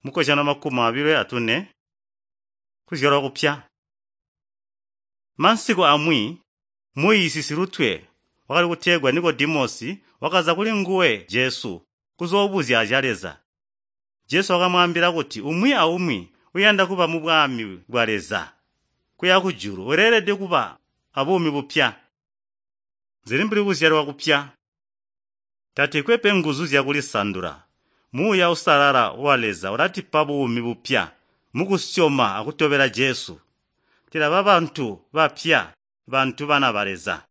Mukozyano 24, kuzyalwa kupya. Mansiku amwi muyiisi silutwe wakali kutegwa Nikodimosi wakaza kulinguwe Jesu kuzoobuzya zya Leza. Jesu wakamwaambila kuti umwi aumwi uyanda kuba mubwami bwa Leza kuya kujulu uleelede kuba abuumi bupya. Zili mbuli kuzyalwa kupya. Tatikwe pe nguzu zyakulisandula. Muuya Uusalala wa Leza ulatipa buumi bupya mukusyoma akutobela Jesu. Tilaba bantu bapya, bantu bana ba Leza.